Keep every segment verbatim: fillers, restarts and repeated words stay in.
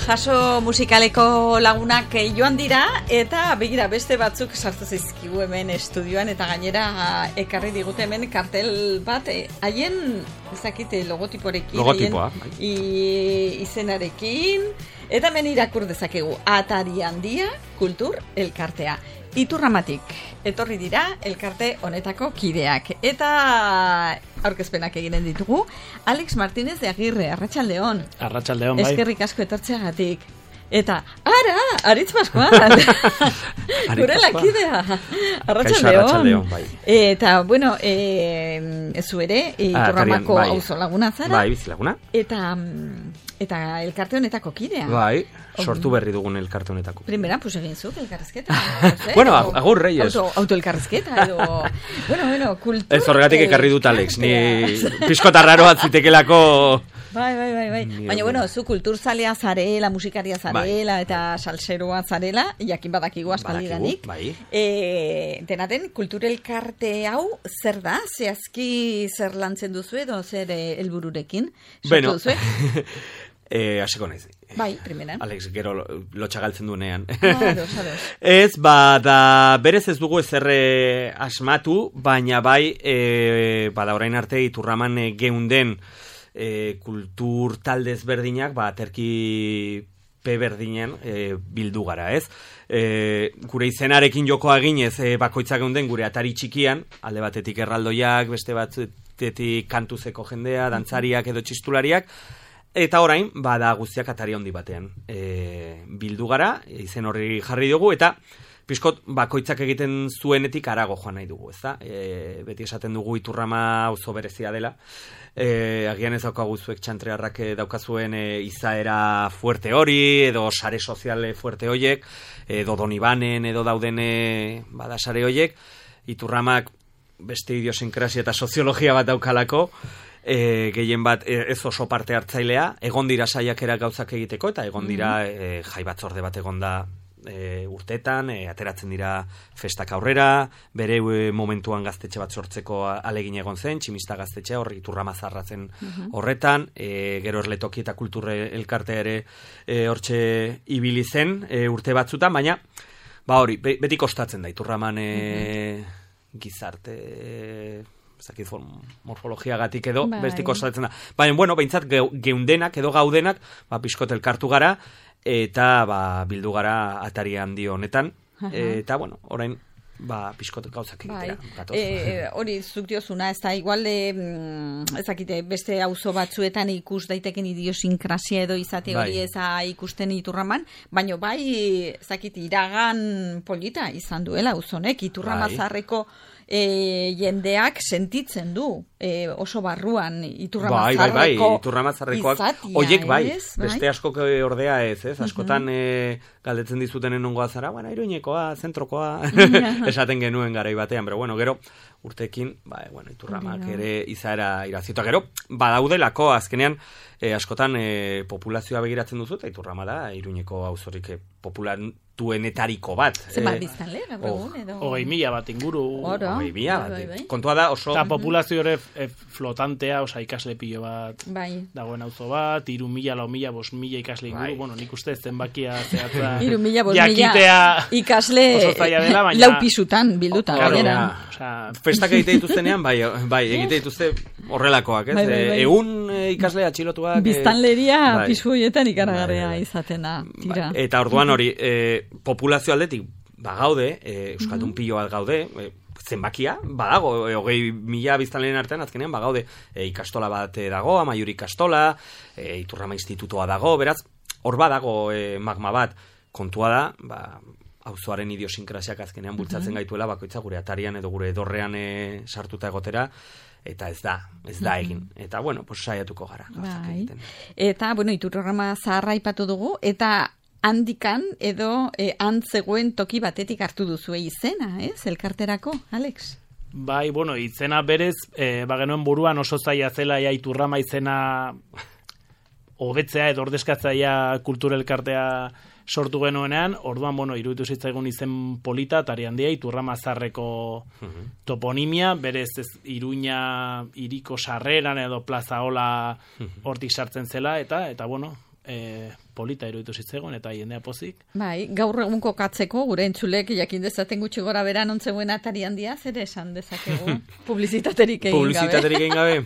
jaso musikaleko lagunak joan dira, eta begira beste batzuk sartu zaizkigu hemen estudioan, eta gainera ekarri digute hemen kartel bat, haien, ezakite, logotiporekin, logotipoa, haien izenarekin, eta hemen irakur dezakegu, Atari Handia Kultur Elkartea. Iturramatik etorri dira elkarte honetako kideak. Eta aurkezpenak eginen ditugu. Alex Martínez de Agirre, arratsaldeon. Arratsaldeon, bai. Eskerrik asko etortzeagatik. Eta, ara, Aritz Pascual. Gure lakidea. Arratsaldeon. Bai. Eta, bueno, eh, zu ere, Iturramako bai. auzo laguna zara. Bai, bizilaguna. Eta, eta elkarte honetako kidea. Bai. Sortu berri dugun elkarte honetako. Primera, pues egin zuk elkarrezketa. Bueno, agur reyes. Auto, autoelkarrezketa edo... bueno, bueno, kultur... Ez horregatik ekarri dut Alex, ni piskotarraro atzitekelako... Bai, bai, bai, bai. Baina, bueno, zu kulturzalea zarela, musikaria zarela, bai. Eta salseroa zarela, jakin badakigu aspaldidanik. Bai. E, denaten, kulturelkarte hau zer da? Zehazki zer lantzen duzu edo zer helbururekin? Bueno, Eh, hasiko naiz. Bai, primeran. Alex, gero lotxagaltzen duenean. Ados, ados. Ez, ba, da, berez ez dugu ezerre asmatu, baina bai, e, ba, da orain arte Iturraman e, geunden e, kultur taldez berdinak, ba, terki pe berdinen e, bildu gara, ez? E, gure izenarekin jokoa ginez, e, bakoitzak geunden gure atari txikian, alde batetik erraldoiak, beste batetik kantuzeko jendea, dantzariak edo txistulariak, eta orain, bada guztiak atari handi batean e, bildu gara, izen horri jarri dugu, eta pixkot bakoitzak egiten zuenetik arago joan nahi dugu, ezta? E, beti esaten dugu Iturrama auzo berezia dela, e, agian ez daukagu zuek txantrearrak daukazuen e, izaera fuerte hori, edo sare soziale fuerte hoiek, edo Donibanen, edo dauden e, bada sare hoiek, Iturramak beste idiosinkrasia eta soziologia bat daukalako, E, gehien bat ez oso parte hartzailea, egon dira saiakera gauzak egiteko, eta egon dira e, jai batzorde bat egon da e, urtetan, e, ateratzen dira festak aurrera, bere e, momentuan gaztetxe bat sortzeko alegin egon zen, tximista gaztetxea, horri Iturrama zarratzen horretan, e, gero erletoki eta kulturre elkartea ere e, hortxe ibili zen e, urte batzutan, baina ba hori, be, beti kostatzen da Iturraman e, gizarte... E, zakit morfologiagatik edo, bai. Besti kostatzen da. Baina, bueno, behintzat geundenak edo gaudenak, ba, pixkot elkartu gara, eta ba, bildu gara Atari Handi honetan, eta, bueno, orain, ba, pixkot gauzak egitera. Bai. E, hori, zuk diozuna, ez da, igual, e, ezakite, beste auzo batzuetan ikus daiteken idiosinkrasia edo izate hori bai. Eza ikusten Iturraman, baina bai, ezakit, iragan polita izan duela auzonek, Iturrama bai. Zarreko E, jendeak sentitzen du e, oso barruan Iturramazarreko bai, bai, bai. Iturramazarrekoak oiek bai, ez, beste askok ordea ez, ez? Askotan e, galdetzen dizutenen nongoa zara, bueno, Iruñekoa, zentrokoa, esaten genuen garai batean, pero bueno, gero urtekin, ba, bueno, Iturramak ere izaera iraziota, gero badaudelako azkenean e, askotan e, populazioa begiratzen duzu, eta Iturrama da Iruñeko auzorik e, populatuenetariko bat. Zenbat biztanle, gaur egun, edo? Hogei mila bat inguru. Hogei mila bat. Kontua da oso... Eta populazio ere e, flotantea, osa ikasle pilo bat, bai. Dagoen auzo bat, iru mila, lau mila, bos mila ikasle inguru, bai. Bueno, nik uste zenbakia zehatza... Iru mila, bos mila ikasle dela, baina... lau pisutan bilduta. Claro, ja. Osa, festak egite dituztenean, bai, bai, egite dituzte horrelakoak, ez? Bai, bai, bai. Egun e, ikasle atxilotuak... Biztanleria bai. Pisu horietan ikaragarria bai, bai. Izatena, tira. Bai. Eta orduan hori, e, populazio aldetik, ba gaude, e, euskaldun mm-hmm. pilo bat gaude, e, zenbakia, badago, e, hogei mila biztanleen artean azkenean, ba gaude, e, ikastola bat dago, Amaiur ikastola, e, Iturrama institutoa dago, beraz, hor badago e, magma bat, kontua da, ba, auzoaren idiosinkrasiak azkenean bultzatzen mm-hmm. gaituela, bakoitza gure atarian edo gure dorrean e, sartuta egotera, eta ez da, ez da egin. Eta, bueno, pues saiatuko gara. Bai. Eta, bueno, Iturrama zaharra aipatu dugu, eta handikan edo e, antzegoen toki batetik hartu duzu izena, ez? Elkarterako, Alex? Bai, bueno, izena berez, e, bagenuen buruan oso zaila zela ja Iturrama izena hobetzea edo ordezkatzaia kulturelkartea sortu genuenean, orduan, bueno, iruditu zitzaigun izen polita, Atari Handia, Iturramazarreko uh-huh. toponimia, berez ez Iruña iriko sarreran edo plaza hola hortik sartzen zela, eta, eta bueno, e, polita iruditu zitzegon, eta jendea pozik. Bai, gaur egun kokatzeko, gure entzulek jakin dezaten gutxi gora beran ontzegoen atari handia, zer esan dezakegu? Publizitaterik egin gabe. Publizitaterik egin gabe?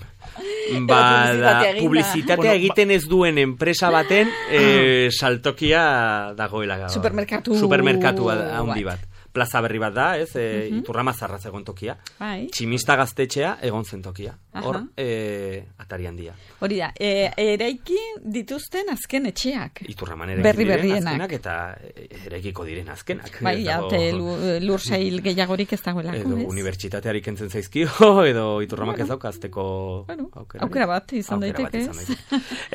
Ba, da, publizitatea egiten ez duen enpresa baten eh, saltokia dagoela. Supermerkatu. Supermerkatu handi bat. Plaza berri bat da, ez, e, uh-huh. Iturrama zarratz egon tokia. Bai. Tximista gaztetxea egon zen tokia. Hor, e, atari handia. Hori da, e, eraiki dituzten azken etxeak. Iturraman eraiki berri diren berrienak. azkenak eta eraikiko diren azkenak. Bai, ja, te lur sail gehiagorik ez dagoelako, edo ez? unibertsitateari kentzen zaizkio, edo Iturramak bueno. ez daukazteko bueno, aukera. Aukera bat izan daiteke, ez?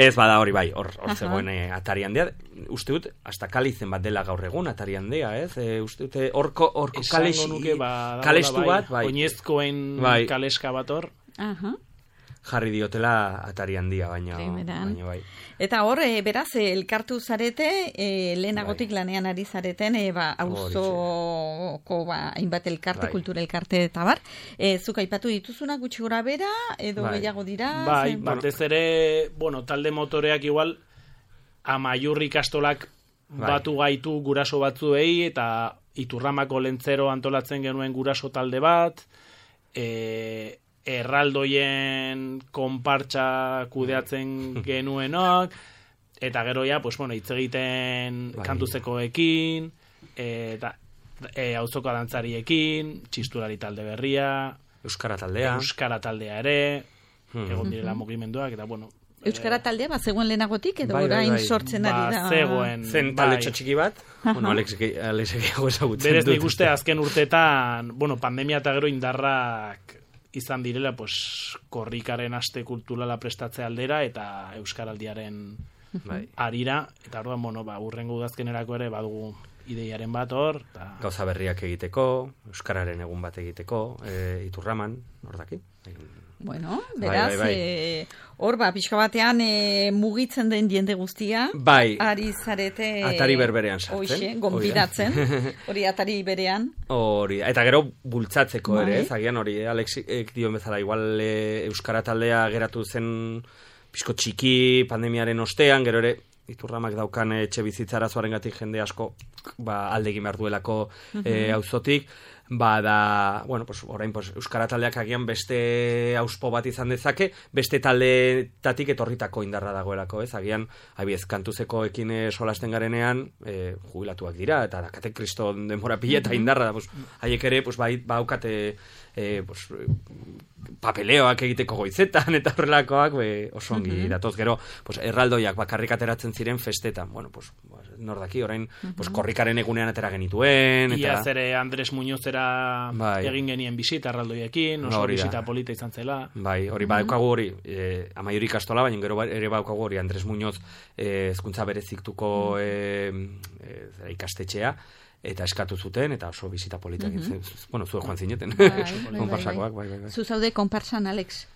Ez bada hori bai, hor, hor zegoen e, atari handia. Uste dut, hasta kalizen bat dela gaur egun atari handia, ez? E, uste dut, orko, orko kalestu ba, bat, bai. Oinezkoen bai. kaleska bat hor. Aha. Jarri diotela atari handia, baina, baina bai. Eta hor, e, beraz, e, elkartu zarete, e, lehenagotik bai. lanean ari zareten, e, ba, auzoko ba, hainbat elkarte, bai. kultura elkarte eta bar. E, zuk aipatu dituzuna gutxi gora bera, edo bai. gehiago dira? Bai, zen, batez ere, bueno, talde motoreak igual, amaiur ikastolak bai. batu gaitu guraso batzuei, eta Iturramako lentzero antolatzen genuen guraso talde bat, e, erraldoien konpartsa kudeatzen genuenok, eta gero ja, pues, bueno, hitz egiten bai. kantuzekoekin, eta e, auzoko dantzariekin, txisturari talde berria, Euskara taldea, Euskara taldea ere, hmm. egon direla mugimenduak, eta bueno, Euskara taldea, ba, zegoen lehenagotik, edo bai, orain bai, bai. sortzen ari da? Ba, zegoen. Zen talde bai. txiki bat? Bueno, Alex egiago ezagutzen dut. Berez nik uste azken urteetan, bueno, pandemia eta gero indarrak izan direla, pues, korrikaren aste kulturala prestatze aldera, eta Euskaraldiaren bai. arira, eta orduan, bueno, ba, urrengo udazkenerako ere badugu ideiaren bat hor. Ta... Gauza berriak egiteko, Euskararen egun bat egiteko, e, Iturraman, hor daki. Bueno, beraz, bai, bai, bai. E, hor, ba, pixka batean e, mugitzen den jende guztia, bai. ari zarete... Atari berberean sartzen. Hoxe, gonbidatzen, hori atari berean. Hori, eta gero bultzatzeko bai. ere, ez, agian hori, eh, Alexik dio bezala, igual e, Euskara taldea geratu zen pixko txiki pandemiaren ostean, gero ere, Iturramak daukan etxe bizitzara zoarengatik jende asko ba, aldegin behar duelako uh-huh. e, auzotik, ba da, bueno, pues, orain pues, Euskara taldeak agian beste auspo bat izan dezake, beste taldetatik etorritako indarra dagoelako, ez? Agian, abiez, kantuzeko ekin solasten garenean, e, jubilatuak dira, eta dakate kriston denbora pila eta indarra, pues, haiek ere, pues, ba, baukate, e, pues, papeleoak egiteko goizetan eta horrelakoak be, oso ongi uh-huh. datoz. Gero, pues, erraldoiak bakarrik ateratzen ziren festetan. Bueno, pues, nordaki, orain, uh-huh. pues, korrikaren egunean atera genituen. Eta... Iaz ere Andres Muñozera bai. egin genien bisita erraldoiekin, oso no, bisita polita izan zela. Bai, hori uh-huh. badaukagu hori, eh, amaiuri ikastola, baina gero ere badaukagu hori Andres Muñoz eh, hezkuntza bereziktuko eh, eh, ikastetxea, eta eskatu zuten, eta oso bizita polita egin zen. Bueno, zue joan zineten. Konparsakoak, bai, bai, bai. Zu zaude konparsan, Alex?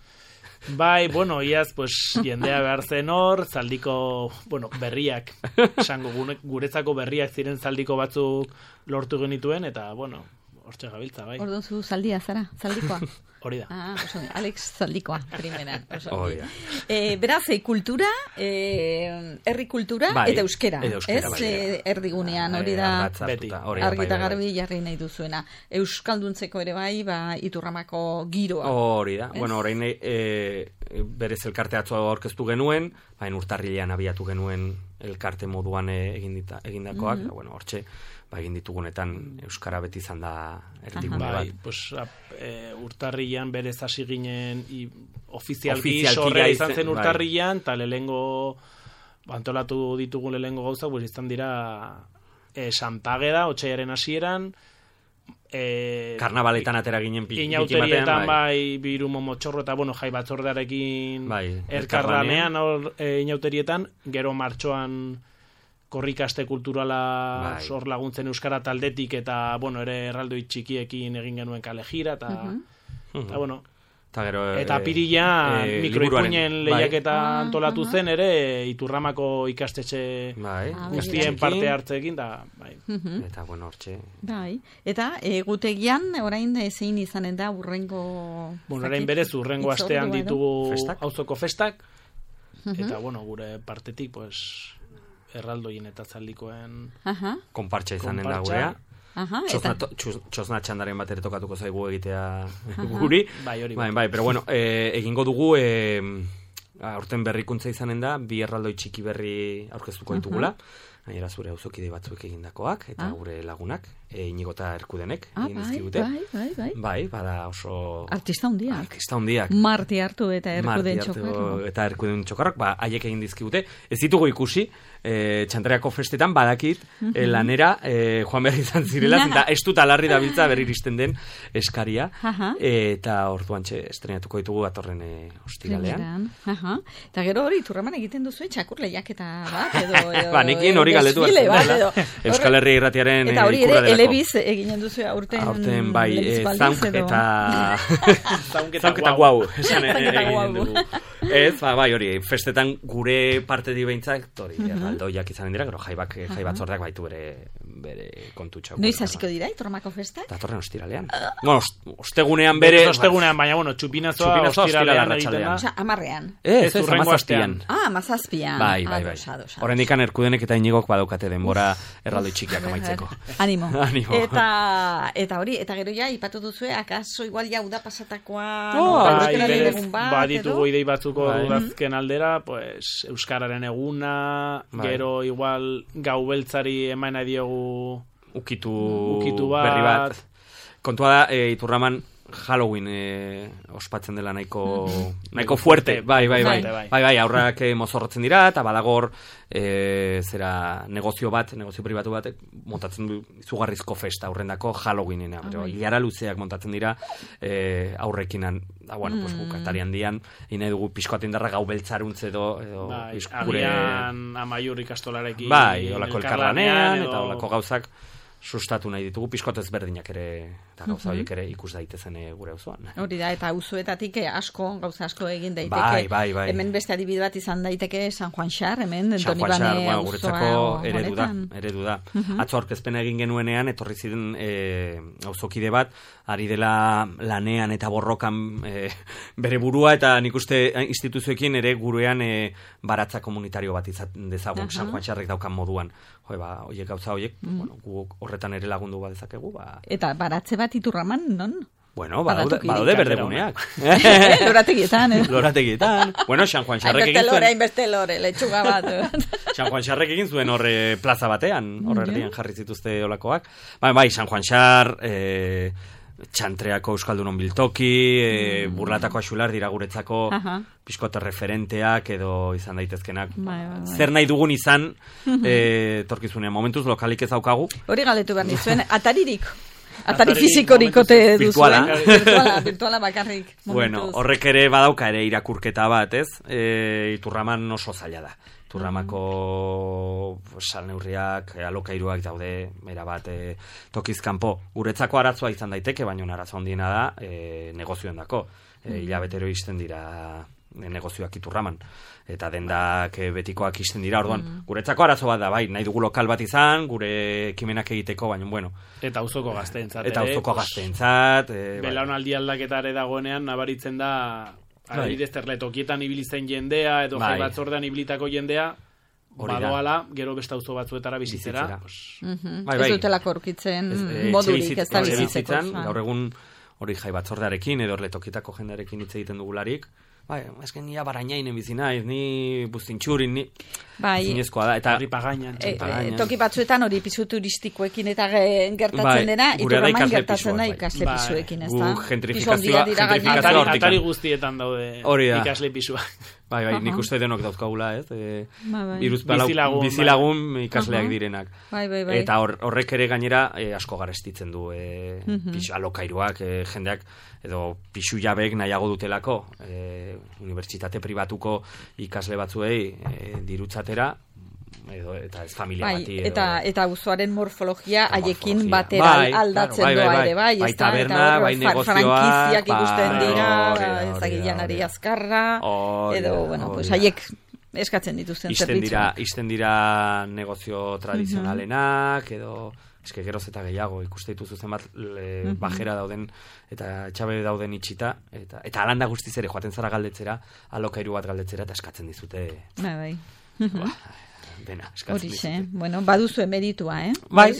Bai, bueno, iaz, pues, jendea behar zen hor, zaldiko, bueno, berriak, esango, guretzako berriak ziren zaldiko batzuk lortu genituen, eta, bueno, hortxe gabiltza, bai. Orduan zu zaldia, zara, zaldikoa? Hori da. Ah, oso, Alex zaldikoa, primeran. Oh, yeah. e, beraz, e, kultura, e, herri kultura, bai, eta euskera. Eta euskera, ez, e, erdigunean, hori da, beti, argi eta garbi jarri nahi duzuena. Euskalduntzeko ere bai, ba, Iturramako giroa. Hori da, ez? Bueno, orain, e, berez elkarte atzo aurkeztu genuen, baina urtarrilean abiatu genuen elkarte moduan egindakoak, mm-hmm. da, bueno, hortxe, ba, egin ditugunetan Euskara beti izan da erdigune bat. Bai, pues, e, urtarrilean berez hasi ginen i, ofizialki sorrea izan zen urtarrilean, eta bai. lehengo antolatu ditugu lehengo gauza, pues, izan dira e, Santageda, otsailaren hasieran, e, karnabaletan atera ginen pi, inauterietan bai, bai birumo motxorro eta bueno, jai batzordearekin bai, elkarlanean e, inauterietan, gero martxoan korrikaste kulturala bai. Sor laguntzen euskara taldetik eta bueno, ere erraldoi txikiekin egin genuen kale jira eta uh-huh. eta bueno, eta gero eta pirila e, mikroipuinen lehiaketa bai. antolatu zen ere Iturramako ikastetxe bai. guztien parte hartzeekin da bai. Uh-huh. Eta bueno, hortxe. Bai. Eta egutegian orain zein izanen da urrengo bueno, orain berez urrengo astean ditugu auzoko festak uh-huh. eta bueno, gure partetik pues erraldoien eta zaldikoen konpartxa izanen da gurea. Aha, txosna, to, txosna txandaren bat ere tokatuko zaigu egitea guri. Bai, hori bai, bai, pero bueno, eh, egingo dugu eh, aurten berrikuntza izanen da, bi erraldoi txiki berri aurkeztuko ditugula. Gainera zure auzokide batzuek egindakoak, eta ah. gure lagunak, e, Inigo eta Erkudenek ah, egin dizkigute. Bai, bai, bai. Bai, bada oso... Artista hundiak. Artista hundiak. Marti hartu eta Erkuden txokarro. Eta Erkuden txokarrok, ba, haiek egin dizkigute. Ez ditugu ikusi, e, Txantreako festetan badakit, uh-huh. e, lanera, e, joan behar izan zirela, eta ez dut alarri dabiltza berri iristen den eskaria, uh-huh. e, eta orduan txe estrenatuko ditugu atorren e, ostiralean. Uh-huh. Eta gero hori, turraman egiten duzu, txakur lehiaketa bat, edo... edo ba, nekin hori galdetu bat, Euskal Herria Irratiaren eta hori ere elebiz eginen duzu aurten aurten bai zaunk eta zaunk eta guau ez, ba, bai hori festetan gure parte di behintzak hori erraldoiak izanen dira, gero jaibak jai batzordeak baitu bere bere kontutxo. Noiz hasiko dira Iturramako festak? Datorren ostiralean. Bueno, ostegunean bere ostegunean, baina bueno, txupinazoa ostiralean egiten da. Osea, hamarrean. Ez, ez hamazazpian. Ah, hamazazpian. Bai, bai, bai. Oraindikan Erkudenek eta Inigok badaukate denbora erraldoi txikiak amaitzeko. Animo. Animo. Eta eta hori, eta gero ja ipatu duzue, akaso igual ja uda pasatakoa, bai, berez, baditugu idei batzuko udazken aldera, pues euskararen eguna, gero igual gau beltzari emana diogu ukitu, ukitu bat. Berri bat. Kontua da, e, Iturraman Halloween e, ospatzen dela nahiko mm-hmm. nahiko fuerte. Bai, bai, bai. Bai, bai, bai aurrak e, mozorrotzen dira, eta badagor e, zera negozio bat, negozio pribatu bat, montatzen du izugarrizko festa aurrendako Halloweenena. Oh, Ilara luzeak montatzen dira e, aurrekinan. Da, bueno, mm. pues, bukatarian dian, ine dugu pixkoaten darra gau beltzaruntze edo... edo bai, gure... agian amaiur ikastolarekin... Bai, olako elkarlanean, edo... eta olako gauzak sustatu nahi ditugu, pixkoat ezberdinak ere, eta gauza horiek ere ikus daitezen gure auzoan. Hori da, eta auzoetatik asko, gauza asko egin daiteke. Bai, bai, bai. Hemen beste adibide bat izan daiteke San Juan Xar, hemen San Juan Xar, bueno, guretzako eredu da, eredu da. Uh-huh. Atzo aurkezpena egin genuenean, etorri ziren e, auzokide bat, ari dela lanean eta borrokan e, bere burua, eta nik uste instituzioekin ere gurean e, baratza komunitario bat izaten dezagun, uh-huh. San Juan Xarrek daukan moduan. Jo, ba, oiek gauza oiek, mm. bueno, gu horretan ere lagundu bat dezakegu, ba... Eta baratze bat Iturraman, non? Bueno, badaude, badaude berdeguneak. Lorategietan, eh? Lorategietan. Bueno, San Juan Xarrek egin zuen... Hainbeste lore, letxuga bat. San Juan Xarrek egin zuen horre plaza batean, horre erdian jarri zituzte olakoak. Bai, bai, San Juan Xar... Eh, Txantreako Euskaldunon biltoki, e, Burlatako Axular dira guretzako pixkote referenteak edo izan daitezkenak. Bai, bai, bai. Zer nahi dugun izan e, torkizunean. Momentuz lokalik ez daukagu. Hori galetu behar nizuen, ataririk. Atari fizikorik ote duzuen. Virtuala, virtuala bakarrik. Momentuz. Bueno, horrek ere badauka ere irakurketa bat, ez? E, Iturraman oso zaila da. Turramako salneurriak, alokairuak daude, era bat, e, tokizkanpo. Guretzako arazoa izan daiteke, baina arazo handiena da e, negozioen dako. E, hilabetero izten dira e, negozioak Iturraman. Eta dendak e, betikoak izten dira, orduan. Mm. Guretzako arazo bat da, bai, nahi dugu lokal bat izan, gure ekimenak egiteko, baina, bueno. Eta auzoko gazteentzat. Eta auzoko gazteentzat. E, Belaunaldi aldaketare dagoenean, nabaritzen da... Adibidez, terletokietan ibilitzen jendea, edo jai batzordean ibilitako jendea, badoala, gero beste auzo batzuetara bizitzera. Ez dutelako aurkitzen modurik, ez da bizitzeko. Gaur egun hori jai batzordearekin, edo erletokietako jendearekin hitz egiten dugularik, bai, esken nia barainainen bizi naiz, ni buztintxurin, ni... Bai, zinezkoa da, eta... Hori pagainan, e, e, toki batzuetan hori pisu turistikoekin eta gertatzen bai, dena, Iturraman gertatzen da ikasle bai. Pisuekin, ez da? Gentrifikazioa, gentrifikazioa atari, atari guztietan daude ikasle pisua. Bai, bai, nik uste denok dauzkagula, ez? E, bai, bai. Bizilagun, bizilagun bai. Ikasleak uh-huh. direnak. Bai, bai, bai. Eta hor, horrek ere gainera e, asko garestitzen du e, uh-huh. pisu, alokairuak, e, jendeak, edo pisu jabek nahiago dutelako, e, unibertsitate pribatuko ikasle batzuei e, dirutzatera, edo, eta ez familia bai, bati. Edo, eta eta auzoaren morfologia haiekin batera bai, aldatzen bai, bai, doa bai, ere, bai, bai, taberna, bai, negozioa, frankiziak ikusten bai, dira, ezagilanari azkarra, edo, bueno, pues haiek eskatzen dituzten zerbitzuak. Dira, isten dira negozio tradizionalenak, edo... Eske geroz eta gehiago ikuste dituzu zenbat uh-huh. bajera dauden eta etxabe dauden itxita eta eta alanda guztiz ere joaten zara galdetzera, alokairu bat galdetzera eta eskatzen dizute. Bai, bai. Ba, dena. Horixe, bueno, baduzu emeritua, eh? Bai,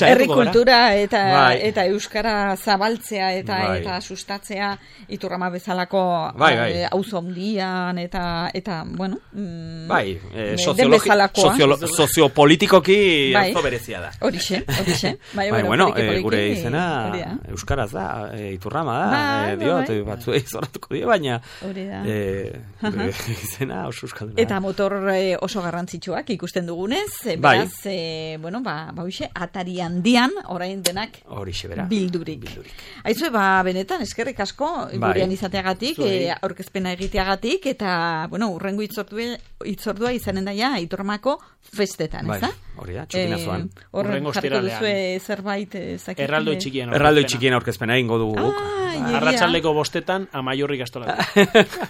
herri kultura eta bai. eta euskara zabaltzea eta Bai. eta sustatzea Iturrama bezalako bai, bai. eh, auzo handian eta eta bueno, mm, bai, eh, den soziologi, bezalakoa. soziolo, soziopolitikoki Bai. auzo berezia da. Horixe, horixe. Bai, Bai, bueno, poliki, eh, poliki, gure izena hori da. euskaraz da, eh, Iturrama da, Bai, eh, bai, diot, bai. eh, batzuei zorratuko die, baina Hori da. eh, gure izena oso euskalduna. Eta motor eh, oso garrantzitsuak ikusten dugunez, eh, Bai. beraz, eh, bueno, ba, ba hoxe, atari handian, orain denak Horixe bera. bildurik. Bildurik. Aizue, ba, benetan, eskerrik asko, Bai. gurean izateagatik, Zuei. eh, aurkezpena egiteagatik, eta, bueno, urrengo itzordua, itzordua izanen daia Iturramako festetan, Bai, ez da? hori da, txupinazoan. Eh, horren Hurrengo jarriko ostiralean. duzue zerbait, eh, zakit, Erraldoi eh, txikien. Erraldoi aurkezpena. txikien aurkezpena egingo dugu guk. Ah, egia. Arratsaldeko bostetan, Amaiurrik astola. Hor,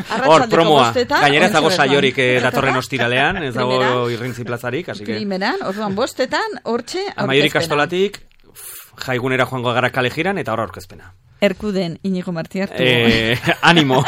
Arratsaldeko promoa. bostetan, Gainera ez dago ontxe bertan. saiorik eh, datorren ostiralean, ez dago Primeran. irrintzi plazarik, así que... Primeran, orduan bostetan, hortxe Amaiorik aurkezpena. kastolatik, jaigunera joango gara kale jiran, eta horra aurkezpena. Erkuden, Inigo Marti hartu. Eh, animo.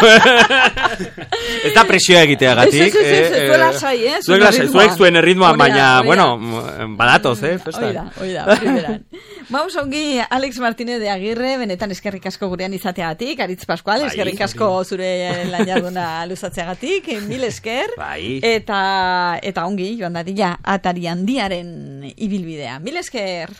Ez da presioa egiteagatik. Ez, ez, ez, ez, eh, zuela sai, eh, Zuek zuen lasai, erritmoa. zuek zuen erritmoan, Hori da, baina, hori da. bueno, badatoz, eh, festan. Oida, oida, primeran. Vamos ongi, Alex Martínez de Agirre, benetan eskerrik asko gurean izateagatik, Aritz Pascual, Bai, eskerrik asko zure lan jarduna luzatzeagatik, mil esker, Bai. eta, eta ongi, joan dadila, atari handiaren ibilbidea. Mil esker!